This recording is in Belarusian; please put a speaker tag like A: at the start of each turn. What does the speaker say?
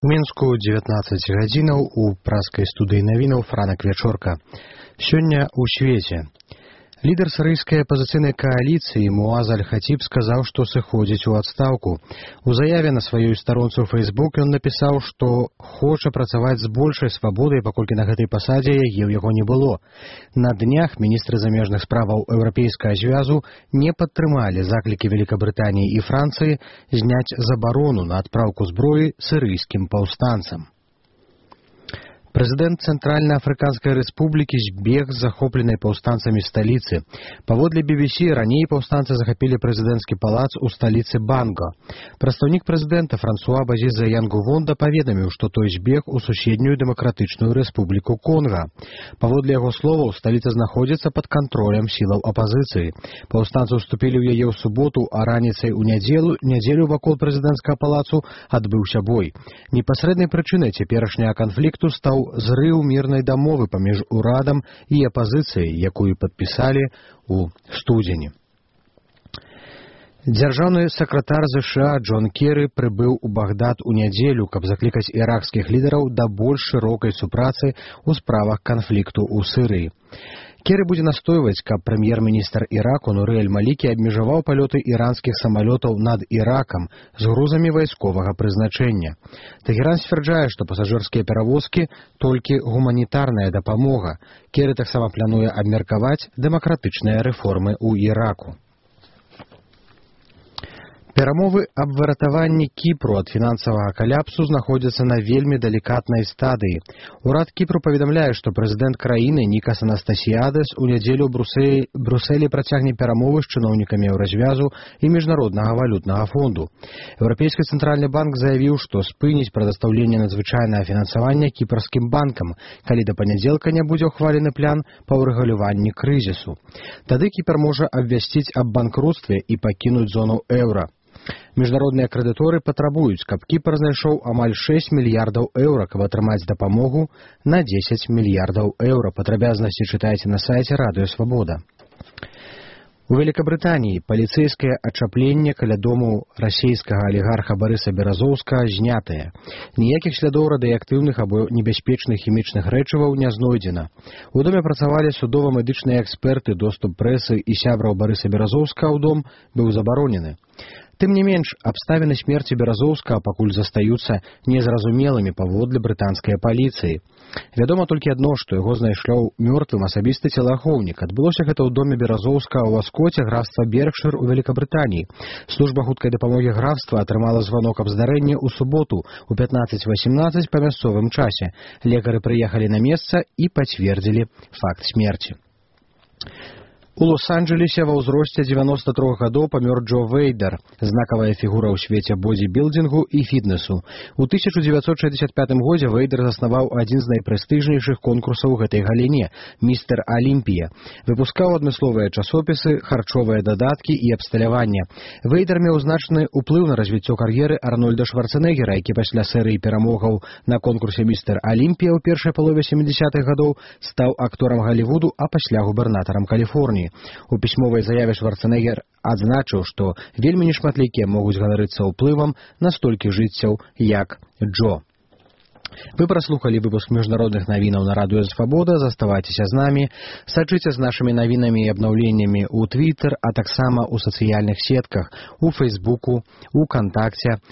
A: У Мінску 19 гадзінаў у праскай студыі навінаў Франак Вячорка. Сёння ў свеце. Лідар сірыйскай апазіцыйнай кааліцыі Муаз Аль-Хатіб сказаў, што сыходзіць у адстаўку. У заяве на сваёй старонцы ў Фейсбук ён напісаў, што хоча працаваць з большай свабодай, паколькі на гэтай пасадзе яе ў яго не было. На днях міністры замежных справаў Еўрапейскага звязу не падтрымалі заклікі Великабрытаніі і Францыі зняць забарону на адпраўку зброі сірыйскім паўстанцам. Прэзідэнт Цэнтральна-Афрыканскай рэспублікі збег з захопленай паўстанцамі сталіцы. Паводле BBC, раней паўстанцы захапілі прэзідэнцкі палац у сталіцы Банго. Прадстаўнік прэзідэнта Франсуа Базіза Янгувонда паведаміў, што той збег у суседнюю дэмакратычную рэспубліку Конга. Паводле яго словаў, сталіца знаходзіцца пад кантролем сілаў апазіцыі. Паўстанцы ўступілі ў яе ў суботу, а раніцай у нядзелю вакол прэзідэнцкага палацу адбыўся бой. Непасрэднай прычынай цяперашняга канфлікту стаў зрыў мірнай дамовы паміж урадам і апазіцыяй, якую падпісалі ў студзені. Дзяржаўны сакратар ЗША Джон Керры прыбыў у Багдад у нядзелю, каб заклікаць іракскіх лідараў да больш шырокай супрацы ў справах канфлікту ў Сірыі. Керры будзе настойваць, каб прэм'ер-міністр Іраку Нуры аль-Малікі абмежаваў палёты іранскіх самалётаў над Іракам з грузамі вайсковага прызначэння. Тэхеран сцвярджае, што пасажырскія перавозкі толькі гуманітарная дапамога. Керры таксама плануе абмеркаваць дэмакратычныя рэформы ў Іраку. Перамовы аб выратаванні Кіпру ад фінансавага каляпсу знаходзяцца на вельмі далікатнай стадыі. Урад Кіпру паведамляе, што прэзідэнт краіны Нікас Анастасіядес у нядзелю ў Брусэлі працягне перамовы з чыноўнікамі Еўразвязу і Міжнароднага валютнага фонду. Еўрапейскі цэнтральны банк заявіў, што спыніць прадастаўленне надзвычайнага фінансавання кіпрскім банкам, калі да панядзелка не будзе ўхвалены план па ўрэгуляванні крызісу. Тады Кіпр можа абвясціць аб банкрутстве і пакінуць зону еўра. Міжнародныя крэдыторы патрабуюць, каб Кіпр знайшоў амаль 6 мільярдаў еўра, каб атрымаць дапамогу на 10 мільярдаў еўра. Падрабязнасці чытайце на сайце Радыё Свабода. У Великабрытаніі паліцэйскае ачапленне каля дому расійскага алігарха Барыса Беразоўскага знятае. Ніякіх слядоў радыеактыўных або небяспечных хімічных рэчываў не знойдзена. У доме працавалі судова-медычныя эксперты, доступ прэсы і сябраў Барыса Беразоўскага ў дом быў забаронены. Тым не менш, абставіны смерці Беразоўскага пакуль застаюцца незразумелымі паводле брытанскай паліцыі. Вядома толькі адно, што яго знайшоў мёртвым асабісты целаахоўнік. Адбылося гэта ў доме Беразоўскага ў Аскоце, графства Беркшыр у Великабрытаніі. Служба хуткай дапамогі графства атрымала званок аб здарэнні ў суботу ў 15:18 па мясцовым часе. Лекары прыехалі на месца і пацвердзілі факт смерці. У Лос-Анджелесе ва ўзросце 93 гадоў памёр Джо Вейдер, знакавая фігура ў свеце бодзібілдингу і фітнесу. У 1965 годзе Вейдер заснаваў адзін з найпрэстыжнейшых конкурсаў у гэтай галіне – «Містер Алімпія». Выпускаў адмысловыя часопісы, харчовыя дадаткі і абсталяванне. Вейдер меў значны ўплыў на развіццё кар'еры Арнольда Шварцэнеггера, які пасля серыі перамогаў на конкурсе «Містер Алімпія» ў першай палове 70-х гадоў стаў акторам Галівуду, а пасля губернатарам Каліфорніі. У пісьмовай заяве Шварцэнеггер адзначыў, што вельмі нешматлікія могуць ганарыцца ўплывам на столькі жыццяў, як Джо. Вы праслухалі выпуск міжнародных навінаў на Радыё Свабода. Заставайцеся з намі, сачыце з нашымі навінамі і абнаўленнямі ў Твіттер, а таксама ў сацыяльных сетках, у Фейсбуку, у Кантакце,